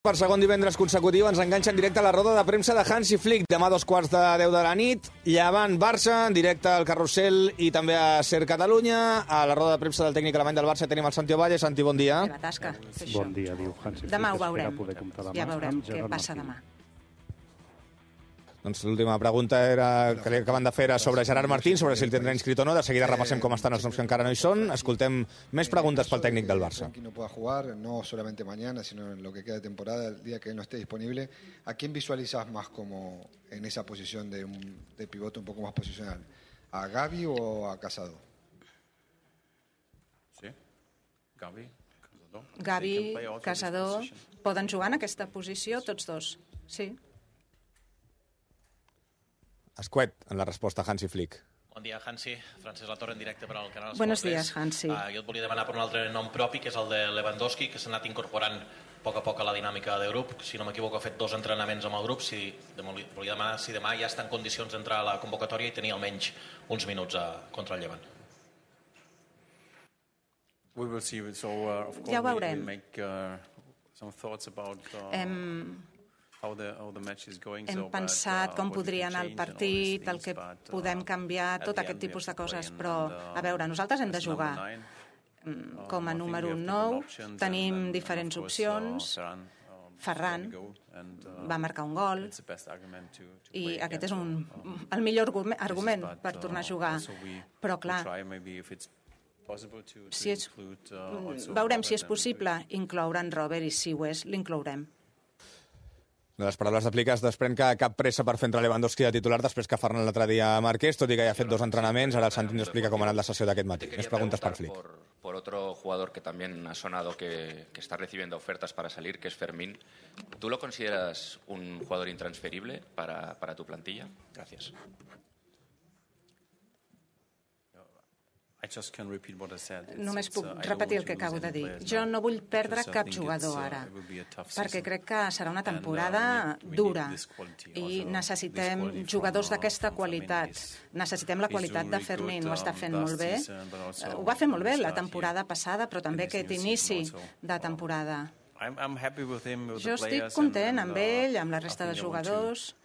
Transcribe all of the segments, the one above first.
Per segon divendres consecutiu ens enganxa en directe a la roda de premsa de Hansi Flick. Demà a 2:15 de la nit, Llevant Barça, en directe al Carrusel i també a Ser Catalunya. A la roda de premsa del tècnic alemany del Barça tenim el Santi Ovalle. Santi, bon dia. Tasca, bon dia, diu Hansi Flick. Demà ho veurem. Ja veurem què passa demà. Doncs l'última pregunta que li acaben de fer era sobre Gerard Martín, sobre si el tindrà inscrit o no. De seguida repassem com estan els noms que encara no hi són. Escoltem més preguntes pel tècnic del Barça. Que no pueda jugar, no solamente mañana, sino en lo que queda de temporada, el día que él no esté disponible. ¿A quién visualizas más como en esa posición de pivote un poco más posicional? ¿A Gavi o a Casado? Sí, Gavi, Casado. Gavi, Casado, poden jugar en aquesta posició tots dos, sí. Escuet, en la resposta a Hansi Flick. Bon dia, Hansi. Francesc Latorre, en directe per al canal Esport 3. Buenos días, Hansi. Jo et volia demanar per un altre nom propi, que és el de Lewandowski, que s'ha anat incorporant a poc a la dinàmica de grup. Si no m'equivoco, ha fet 2 entrenaments amb el grup. Volia demanar si demà ja està en condicions d'entrar a la convocatòria i tenir almenys uns minuts contra el Llevant. Ja ho veurem. Hem pensat com podria anar el partit, el que podem canviar, tot aquest tipus de coses, però, a veure, nosaltres hem de jugar. Com a número 9 tenim diferents opcions. Ferran va marcar un gol i aquest és el millor argument per tornar a jugar. Però, clar, veurem si és possible incloure en Robert i si ho és, l'inclourem. De les paraules de Flick es desprèn que cap pressa per fer entrar Lewandowski de titular després que Ferran l'altre dia marqués, tot i que ja ha fet 2 entrenaments. Ara el Santi ens explica com ha anat la sessió d'aquest matí. Més preguntes per Flick. Por otro jugador que también ha sonado que está recibiendo ofertas para salir, que es Fermín. ¿Tú lo consideras un jugador intransferible para tu plantilla? Gracias. Només puc repetir el que acabo de dir. Jo no vull perdre cap jugador ara, perquè crec que serà una temporada dura i necessitem jugadors d'aquesta qualitat. Necessitem la qualitat de Fermín, ho està fent molt bé. Ho va fer molt bé la temporada passada, però també aquest inici de temporada. Jo estic content amb ell, amb la resta de jugadors,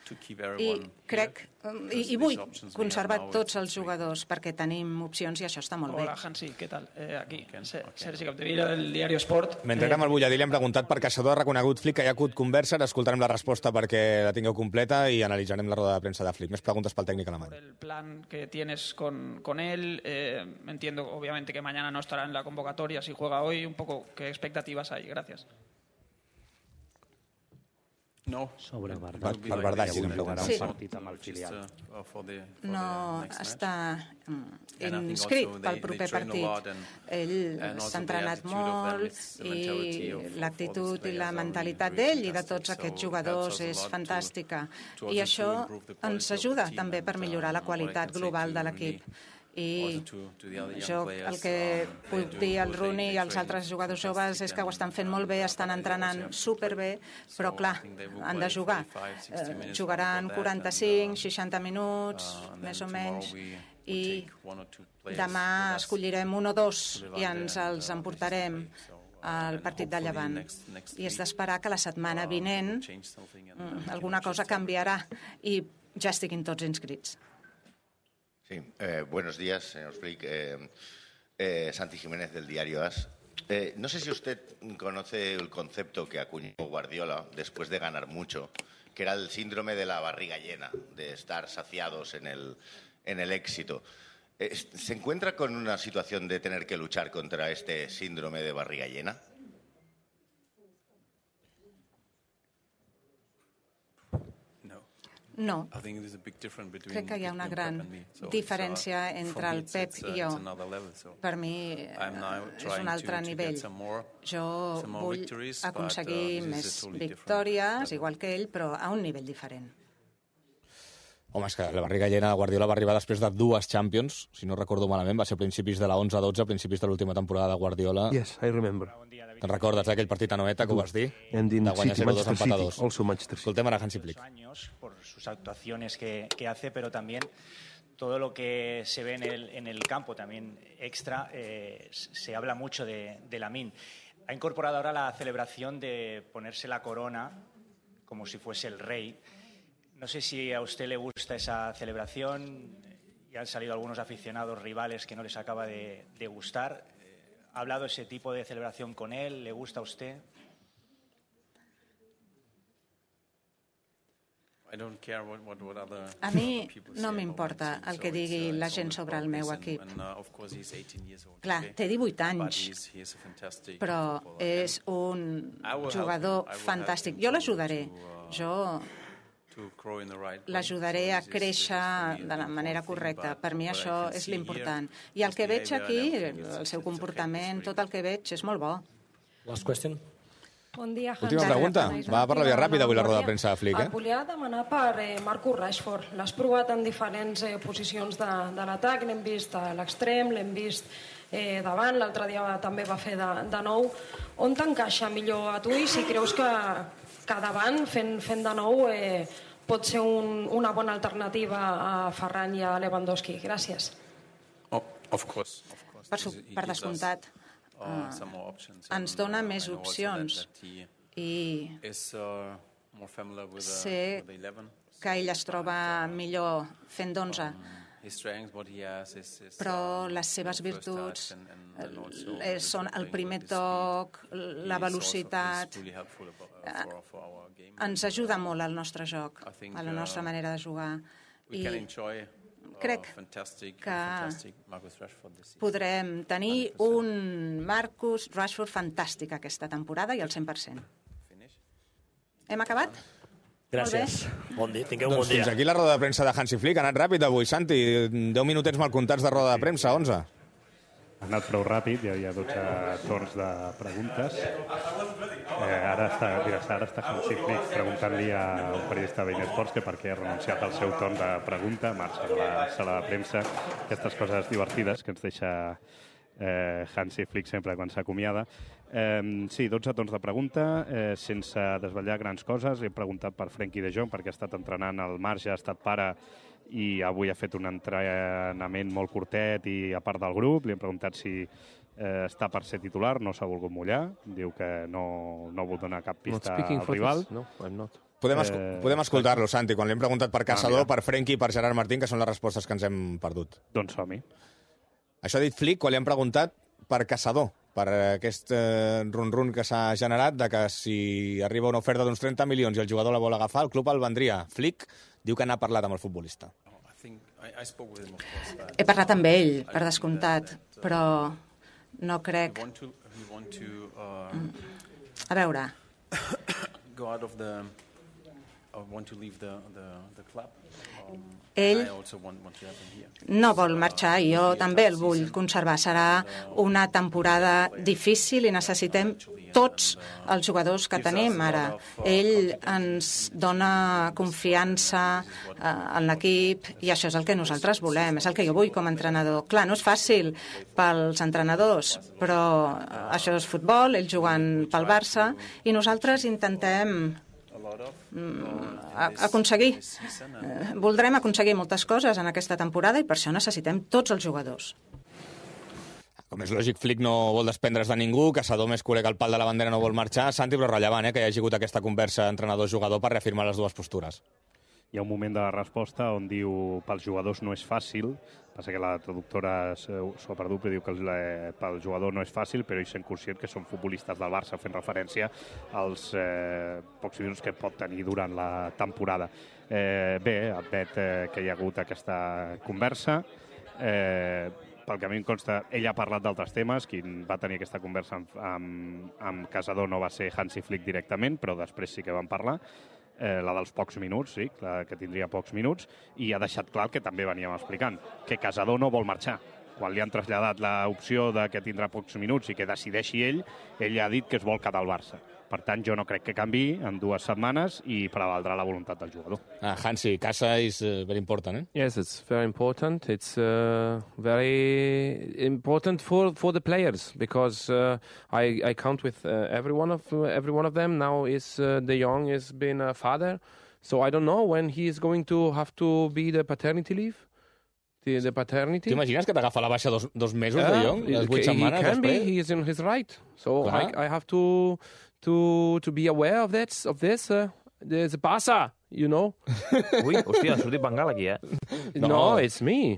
i crec i vull conservar tots els jugadors perquè tenim opcions i això està molt bé. Hola, Hansi, què tal? Aquí, Sergi Capdevila, del diari Esport. Mentre érem al Bulladí li hem preguntat per Caçador, ha reconegut Flick que hi ha hagut conversa, escoltarem la resposta perquè la tingueu completa i analitzarem la roda de premsa de Flick. Més preguntes pel tècnic alemany. El plan que tienes con él, entiendo obviamente que mañana no estará en la convocatoria, si juega hoy, un poco, ¿qué expectativas hay? Gracias. No, sobre Per Bardall, sí. Partit amb el filial. No està inscrit pel proper partit. Ell s'ha entrenat molt i l'actitud i la mentalitat d'ell i de tots aquests jugadors és fantàstica. I això ens ajuda també per millorar la qualitat global de l'equip. I jo el que puc dir al Rooney i als altres jugadors joves és que ho estan fent molt bé, estan entrenant superbé, però clar, han de jugar. Jugaran 45, 60 minuts, més o menys, i demà escollirem 1 o 2 i ens els emportarem al partit de Llevant. I és d'esperar que la setmana vinent alguna cosa canviarà i ja estiguin tots inscrits. Sí, buenos días, señor Flick. Santi Jiménez, del diario AS. No sé si usted conoce el concepto que acuñó Guardiola después de ganar mucho, que era el síndrome de la barriga llena, de estar saciados en el éxito. ¿Se encuentra con una situación de tener que luchar contra este síndrome de barriga llena? No. Crec que hi ha una gran diferència entre el Pep i jo. Per mi és un altre nivell. Jo vull aconseguir més victòries, igual que ell, però a un nivell diferent. Home, és que la barriga llena de Guardiola va arribar després de 2 Champions, si no recordo malament, va ser a principis de la 11-12, a principis de l'última temporada de Guardiola. Yes, I remember. Te'n recordes d'aquell partit a Noeta que ho vas dir? De guanyar 0-2 empatados. Escoltem ara Hansi Flick. Por sus actuaciones que hace, pero también todo lo que se ve en el campo, también extra, se habla mucho de Lamine. Ha incorporado ahora la celebración de ponerse la corona como si fuese el rey. No sé si a usted le gusta esa celebración. Ya han salido algunos aficionados rivales que no les acaba de gustar. ¿Ha hablado ese tipo de celebración con él? ¿Le gusta a usted? A mi no m'importa el que digui la gent sobre el meu equip. Clar, té 18 anys, però és un jugador fantàstic. Jo l'ajudaré. Jo l'ajudaré a créixer de la manera correcta. Per mi això és l'important. I el que veig aquí, el seu comportament, tot el que veig és molt bo. Last question. Bon dia, Hans. Última pregunta. Va per la via ràpida avui la roda de premsa de Flick. Et volia demanar per Marcus Rashford. L'has provat en diferents posicions de l'atac. L'hem vist a l'extrem, l'hem vist davant. L'altre dia també va fer de nou. On t'encaixa millor a tu i si creus que davant, fent de nou, pot ser una bona alternativa a Ferran i a Lewandowski? Gràcies. Per descomptat. Ens dona més opcions i sé que ell es troba millor fent d'11, però les seves virtuts són el primer toc, la velocitat. Ens ajuda molt al nostre joc, a la nostra manera de jugar. I crec que podrem tenir un Marcus Rashford fantàstic aquesta temporada i al 100%. Hem acabat? Gràcies. Bon dia, tingueu un bon dia. Fins aquí la roda de premsa de Hansi Flick. Ha anat ràpid avui, Santi. 10 minutets mal comptats de roda de premsa, 11. Ha anat prou ràpid, hi havia 12 torns de preguntes. Ara està Hansi Flick preguntant-li a un periodista de Bein Sports que per què ha renunciat al seu torn de pregunta, marxa de la sala de premsa. Aquestes coses divertides que ens deixa Hansi Flick sempre quan s'acomiada. Sí, 12 torns de pregunta, sense desvetllar grans coses. He preguntat per Frenkie de Jong perquè ha estat entrenant al marge, ha estat pare i avui ha fet un entrenament molt curtet i a part del grup. Li hem preguntat si està per ser titular, no s'ha volgut mullar, diu que no vol donar cap pista al rival. No, I'm not. Podem escoltar-lo, Santi, quan li hem preguntat per Caçador, per Frenkie i per Gerard Martín, que són les respostes que ens hem perdut. Doncs som-hi. Això ha dit Flick quan li hem preguntat per Caçador, per aquest run-run que s'ha generat de que si arriba una oferta d'uns 30 milions i el jugador la vol agafar, el club el vendria. Flick diu que n'ha parlat amb el futbolista. He parlat amb ell, per descomptat, però no crec... A veure... Ell no vol marxar i jo també el vull conservar. Serà una temporada difícil i necessitem tots els jugadors que tenim ara. Ell ens dona confiança en l'equip i això és el que nosaltres volem, és el que jo vull com a entrenador. Clar, no és fàcil pels entrenadors, però això és futbol, ells juguen pel Barça i nosaltres intentem aconseguir. Voldrem aconseguir moltes coses en aquesta temporada i per això necessitem tots els jugadors. Com és lògic, Flick no vol desprendre's de ningú, Caçador més culer que el pal de la bandera no vol marxar. Santi, però rellevant que hi hagi hagut aquesta conversa entrenador-jugador per reafirmar les dues postures. Hi ha un moment de la resposta on diu pels jugadors no és fàcil, passa que la traductora s'ho ha perdut, però diu que pel jugador no és fàcil, però ells són conscients que són futbolistes del Barça, fent referència als pocs minuts que pot tenir durant la temporada. Bé, admet que hi ha hagut aquesta conversa. Pel que a mi em consta, ell ha parlat d'altres temes. Qui va tenir aquesta conversa amb Caçador no va ser Hansi Flick directament, però després sí que van parlar. La dels pocs minuts, sí, que tindria pocs minuts, i ha deixat clar el que també veníem explicant, que Caçador no vol marxar. Quan li han traslladat l'opció de que tindrà pocs minuts i que decideixi ell ha dit que es vol quedar al Barça. Per tant, jo no crec que canviï en 2 setmanes i prevaldrà la voluntat del jugador. Hansi, Casa is very important, eh? Yes, it's very important. It's very important for the players because I count with every one of them. Now De Jong has been a father, so I don't know when he is going to have to be the paternity leave. the paternity. T'imagines que t'agafa la baixa dos mesos de Jong? Les 8 setmanes he can be, després? he is in his right. So I have to be aware of this. There's Barça, you know. Ui, hòstia, ha sortit Bengal aquí, No, it's me.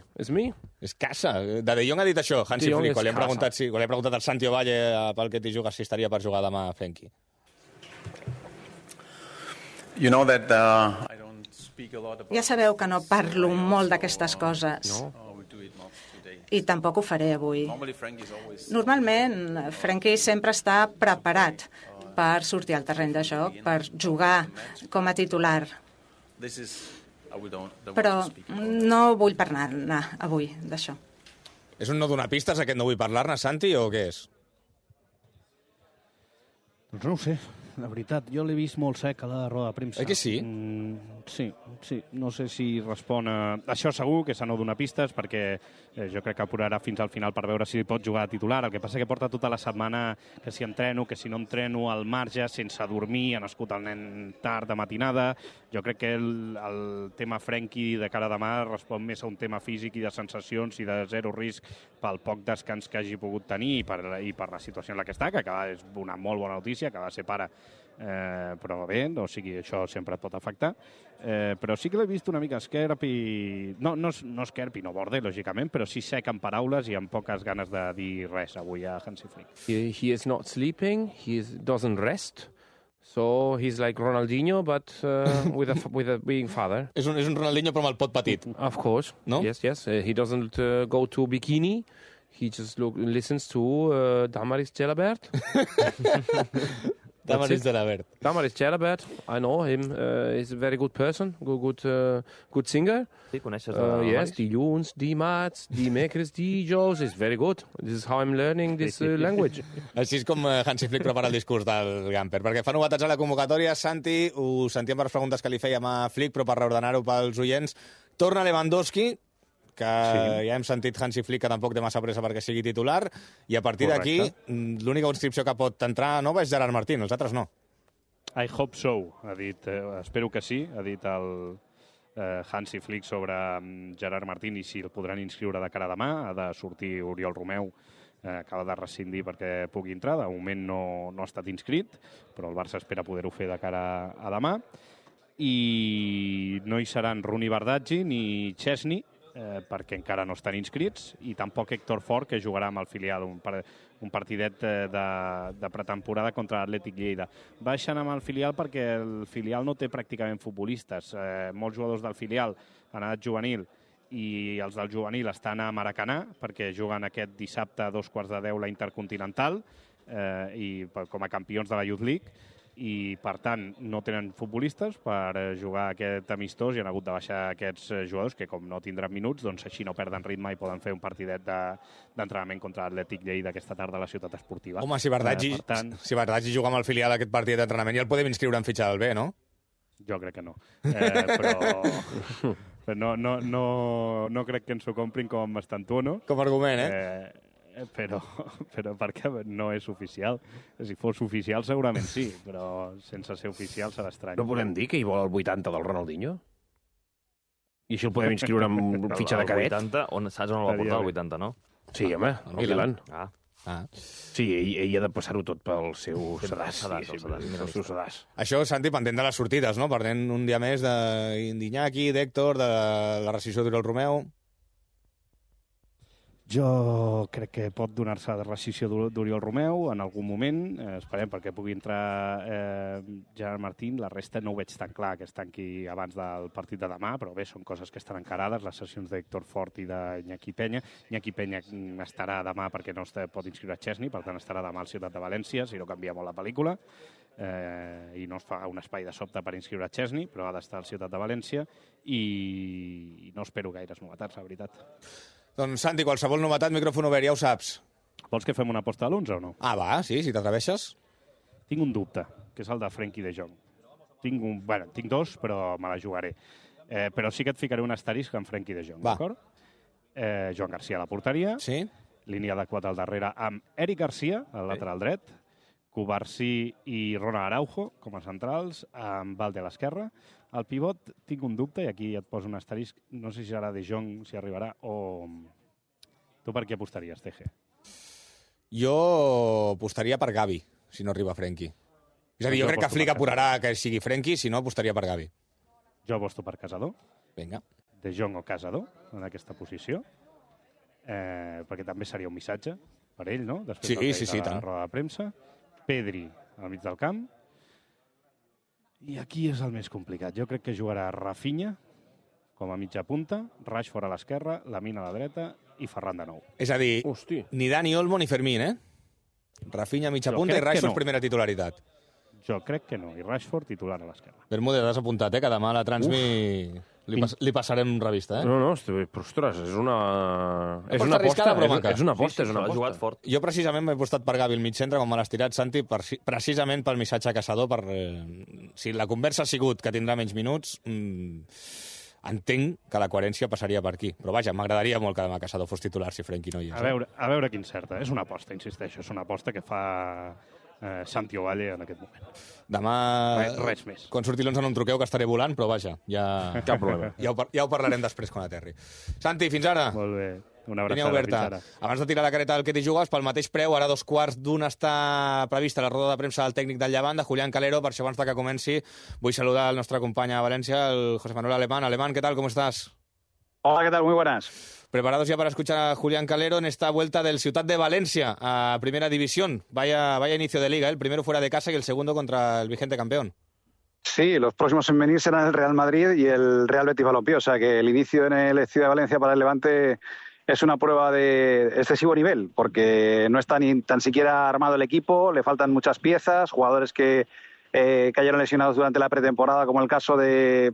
És casa. De Jong ha dit això, Hansi Flick, quan li han preguntat al Santi Ovalle pel que t'hi jugues si estaria per jugar demà a Frenkie. You know that I don't speak a lot about... Ja sabeu que no parlo molt d'aquestes coses. I tampoc ho faré avui. Normalment, Frenkie sempre està preparat per sortir al terreny de joc, per jugar com a titular. Però no vull parlar-ne avui d'això. És un no donar pistes, aquest no vull parlar-ne, Santi, o què és? Doncs no ho sé, la veritat. Jo l'he vist molt sec a la roda de premsa. Oi que sí? Sí. No sé si respon a... Això segur que s'ha no donar pistes, perquè jo crec que apurarà fins al final per veure si pot jugar de titular. El que passa que porta tota la setmana que si entreno, que si no entreno, al marge, sense dormir, ha nascut el nen tard de matinada. Jo crec que el tema Frenkie de cara a demà respon més a un tema físic i de sensacions i de zero risc pel poc descans que hagi pogut tenir i per la situació en la que està, que és una molt bona notícia, que va ser pare, però bé, o sigui, això sempre et pot afectar. Però sí que l'he vist una mica esquerp i... No esquerp i no borde, lògicament, però sí sec en paraules i amb poques ganes de dir res avui a Hansi Flick. He is not sleeping, doesn't rest. So he's like Ronaldinho, but with a being father. És un Ronaldinho però amb el pot petit. Of course. No? Yes. He doesn't go to bikini. He just listens to Damaris Gelabert. Damaris Gelabert. Damaris Gelabert. I know him. He's a very good person. Good singer. Sí, coneixes Yes, dilluns, dimarts, dimecres, dijous. It's very good. This is how I'm learning this language. Així és com Hansi Flick prepara el discurs del Gamper. Perquè fa novetats a la convocatòria, Santi, ho sentíem per les preguntes que li fèiem a Flick, però per reordenar-ho pels oients, torna Lewandowski, que ja hem sentit Hansi Flick que tampoc té massa pressa perquè sigui titular, i a partir d'aquí l'única inscripció que pot entrar nova és Gerard Martín, els altres no. I hope so, ha dit, espero que sí, ha dit el Hansi Flick sobre Gerard Martín i si el podran inscriure de cara a demà. Ha de sortir Oriol Romeu, acaba de rescindir perquè pugui entrar, de moment no ha estat inscrit, però el Barça espera poder-ho fer de cara a demà. I no hi seran Rooney Bardghji ni Chesney, perquè encara no estan inscrits, i tampoc Héctor Fort, que jugarà amb el filial, un partidet de pretemporada contra l'Atlètic Lleida. Baixen amb el filial perquè el filial no té pràcticament futbolistes. Molts jugadors del filial han anat juvenil i els del juvenil estan a Maracanà perquè juguen aquest dissabte a 9:15 la Intercontinental i com a campions de la Youth League, i per tant no tenen futbolistes per jugar aquest amistós i han hagut de baixar aquests jugadors que com no tindran minuts, doncs així no perden ritme i poden fer un partidet d'entrenament contra l'Atlètic Lleida aquesta tarda a la ciutat esportiva. Home, si Bardghji juga amb el filial d'aquest partit d'entrenament ja el podem inscriure en fitxa del B, no? Jo crec que no. Però no crec que ens ho comprin com Estantuono. Com a argument, però perquè no és oficial. Si fos oficial segurament sí, però sense ser oficial serà estrany. No podem dir que hi vol el 80 del Ronaldinho? I així el podem inscriure en fitxa de cadet? El 80, saps on el va portar el 80, no? Sí, home, el Milan. Sí, ell ha de passar-ho tot pel seu sedàs. El seu sedàs. Això, Santi, pendent de les sortides, no? Pendent un dia més d'Iñaki, d'Héctor, de la rescissió d'Oriol Romeu. Jo crec que pot donar-se de rescissió d'Oriol Romeu en algun moment, esperem perquè pugui entrar Gerard Martín. La resta no ho veig tan clar que es tanqui abans del partit de demà, però bé, són coses que estan encarades, les sessions d'Héctor Fort i d'Iñaki Peña. Iñaki Peña estarà demà perquè no pot inscriure Chesney, per tant estarà demà al Ciutat de València, si no canvia molt la pel·lícula, i no es fa un espai de sobte per inscriure Chesney, però ha d'estar al Ciutat de València, i no espero gaires novetats, la veritat. Doncs, Santi, qualsevol novetat, micròfon obert, ja ho saps. Vols que fem una aposta a l'11 o no? Ah, va, sí, si t'atreveixes. Tinc un dubte, que és el de Frenkie de Jong. Tinc dos, però me la jugaré. Però sí que et ficaré un asterisc en Frenkie de Jong, d'acord? Joan Garcia a la porteria. Sí. Línia de 4 al darrere amb Eric Garcia, al lateral dret. Cubarsí i Ronald Araujo com a centrals, amb Valde a l'esquerra. Al pivot tinc un dubte, i aquí et poso un asterisc, no sé si serà De Jong, si arribarà, o... Tu per què apostaries, TG? Jo apostaria per Gavi, si no arriba Frenkie. És a dir, jo crec que Flick apurarà que sigui Frenkie, si no apostaria per Gavi. Jo aposto per Casador. Vinga. De Jong o Casador, en aquesta posició, perquè també seria un missatge per ell, no? Després sí, de la roda de premsa. Pedri al mig del camp. I aquí és el més complicat. Jo crec que jugarà Rafinha com a mitja punta, Rashford a l'esquerra, Lamine a la dreta i Ferran de nou. És a dir, ni Dani Olmo ni Fermín, eh? Rafinha mitja punta i Rashford primera titularitat. Jo crec que no, i Rashford titular a l'esquerra. Bermúdez, has apuntat, que demà a la Transmi li passarem revista, No, però ostres, és una aposta. És una aposta. Ha jugat fort. Jo precisament m'he apostat per Gavi al mig centre, com me l'has tirat, Santi, precisament pel missatge a Caçador. Si la conversa ha sigut que tindrà menys minuts, entenc que la coherència passaria per aquí. Però vaja, m'agradaria molt que demà Caçador fos titular si Frenkie no hi és. A veure quin certa. És una aposta, insisteixo. És una aposta que fa Santi Ovalle en aquest moment. Demà, res més. Quan surti l'11 no em truqueu, que estaré volant, però vaja, cap problema. Ja ho parlarem després quan aterri. Santi, fins ara. Molt bé. Una abraçada, fins ara. Abans de tirar la careta del que t'hi jugues, pel mateix preu, ara 2:15 està prevista la roda de premsa del tècnic del Llevant, de Julián Calero. Per això, abans que comenci, vull saludar el nostre company a València, el José Manuel Alemán. Alemán, ¿qué tal? ¿Cómo estás? Hola, ¿qué tal? Muy buenas. ¿Preparados ya para escuchar a Julián Calero en esta vuelta del Ciutat de Valencia a Primera División? Vaya inicio de liga, el primero fuera de casa y el segundo contra el vigente campeón. Sí, los próximos en venir serán el Real Madrid y el Real Betis Balompié, o sea que el inicio en el Ciudad de Valencia para el Levante es una prueba de excesivo nivel, porque no está ni tan siquiera armado el equipo, le faltan muchas piezas, jugadores que cayeron lesionados durante la pretemporada, como el caso de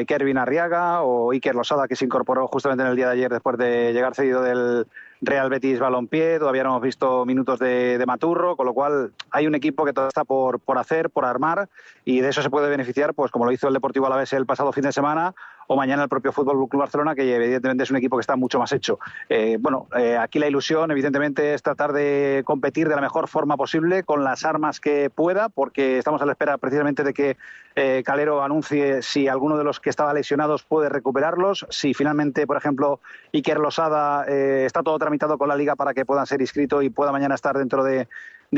Kervin Arriaga o Iker Losada, que se incorporó justamente en el día de ayer después de llegar cedido del Real Betis Balompié. Todavía no hemos visto minutos de Maturro, con lo cual hay un equipo que todo está por hacer, por armar, y de eso se puede beneficiar, pues como lo hizo el Deportivo Alavés el pasado fin de semana, o mañana el propio Fútbol Club Barcelona, que evidentemente es un equipo que está mucho más hecho. Aquí la ilusión, evidentemente, es tratar de competir de la mejor forma posible, con las armas que pueda, porque estamos a la espera precisamente de que Calero anuncie si alguno de los que estaba lesionados puede recuperarlos, si finalmente, por ejemplo, Iker Losada está todo tramitado con la Liga para que puedan ser inscritos y pueda mañana estar dentro de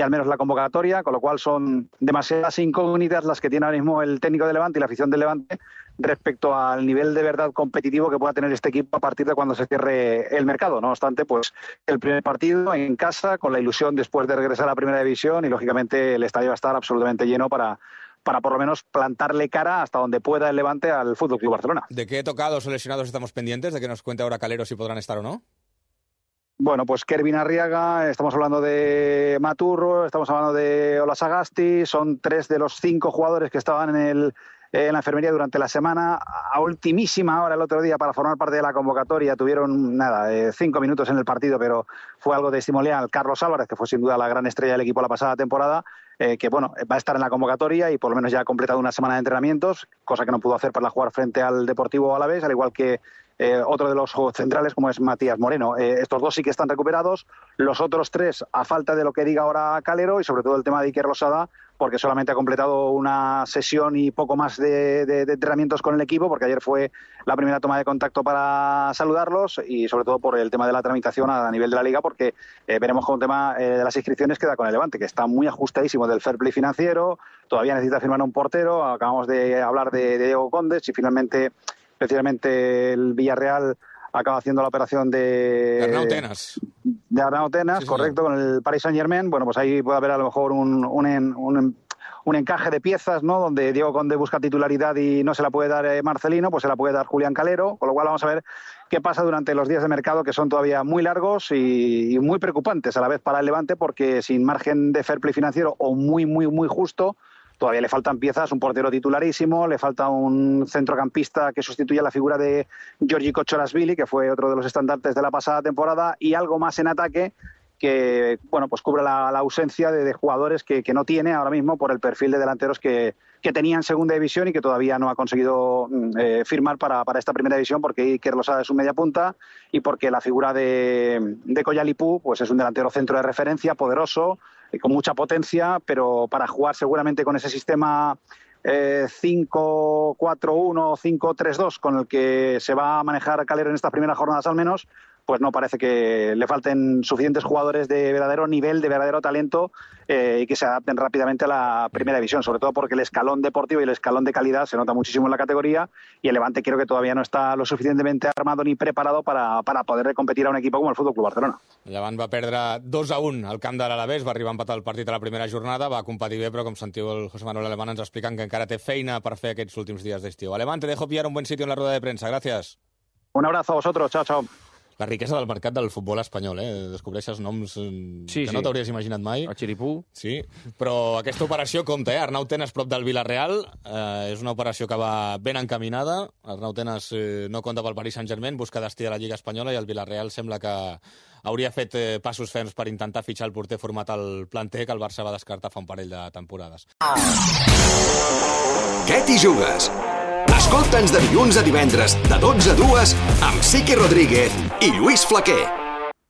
al menos la convocatoria, con lo cual son demasiadas incógnitas las que tiene ahora mismo el técnico de Levante y la afición del Levante respecto al nivel de verdad competitivo que pueda tener este equipo a partir de cuando se cierre el mercado. No obstante, pues el primer partido en casa, con la ilusión después de regresar a la Primera División, y lógicamente el estadio va a estar absolutamente lleno para por lo menos plantarle cara hasta donde pueda el Levante al Fútbol Club Barcelona. ¿De qué tocados o lesionados estamos pendientes? ¿De que nos cuente ahora Calero si podrán estar o no? Bueno, pues Kervin Arriaga, estamos hablando de Maturro, estamos hablando de Ola Sagasti, son 3 de los 5 jugadores que estaban en la enfermería durante la semana. A ultimísima hora el otro día para formar parte de la convocatoria tuvieron 5 minutos en el partido, pero fue algo testimonial. Carlos Álvarez, que fue sin duda la gran estrella del equipo la pasada temporada, que va a estar en la convocatoria y por lo menos ya ha completado una semana de entrenamientos, cosa que no pudo hacer para jugar frente al Deportivo Alavés, al igual que otro de los centrales como es Matías Moreno. Estos 2 sí que están recuperados, los otros 3 a falta de lo que diga ahora Calero, y sobre todo el tema de Iker Losada, porque solamente ha completado una sesión y poco más de entrenamientos con el equipo, porque ayer fue la primera toma de contacto para saludarlos, y sobre todo por el tema de la tramitación a nivel de la Liga, porque veremos con el tema de las inscripciones queda con el Levante, que está muy ajustadísimo del fair play financiero, todavía necesita firmar un portero, acabamos de hablar de Diego Condes, y finalmente precisamente el Villarreal acaba haciendo la operación de Arnau Tenas. De Arnau Tenas, sí, correcto, con el Paris Saint-Germain. Bueno, pues ahí puede haber a lo mejor un encaje de piezas, ¿no? Donde Diego Conde busca titularidad y no se la puede dar Marcelino, pues se la puede dar Julián Calero, con lo cual vamos a ver qué pasa durante los días de mercado, que son todavía muy largos y muy preocupantes a la vez para el Levante, porque sin margen de fair play financiero o muy justo, todavía le faltan piezas, un portero titularísimo, le falta un centrocampista que sustituya la figura de Giorgi Kocholasvili, que fue otro de los estandartes de la pasada temporada, y algo más en ataque que pues cubre la ausencia de jugadores que no tiene ahora mismo por el perfil de delanteros que tenía en segunda división y que todavía no ha conseguido firmar para esta primera división, porque Iker Losada es un media punta y porque la figura de Koyalipú pues es un delantero centro de referencia, poderoso, con mucha potencia, pero para jugar seguramente con ese sistema 5-4-1, 5-3-2 con el que se va a manejar Calero en estas primeras jornadas al menos, pues no parece que le falten suficientes jugadores de verdadero nivel, de verdadero talento y que se adapten rápidamente a la primera división, sobre todo porque el escalón deportivo y el escalón de calidad se nota muchísimo en la categoría y el Levante creo que todavía no está lo suficientemente armado ni preparado para poder competir a un equipo como el Fútbol Club Barcelona. El Levant va perdre 2-1 al camp de l'Alavés, va arribar a empatar el partit a la primera jornada, va competir bé, però com sentiu el José Manuel Alemán ens expliquen que encara té feina per fer aquests últims dies d'estiu. Alemán, te dejo pillar un buen sitio en la rueda de prensa. Gracias. Un abrazo a vosotros. Chao, chao. La riquesa del mercat del futbol espanyol, Descobreixes noms que no t'hauries imaginat mai. El Xiripú. Sí, però aquesta operació compta, Arnau Tenas prop del Villarreal. És una operació que va ben encaminada. Arnau Tenas no compta pel Paris Saint-Germain, busca destí a la Lliga Espanyola i el Villarreal sembla que hauria fet passos ferms per intentar fitxar el porter format al planter que el Barça va descartar fa un parell de temporades. Què t'hi jugues? Escolta'ns de dilluns a divendres, de 12 a 2, amb Sique Rodríguez i Lluís Flaquer.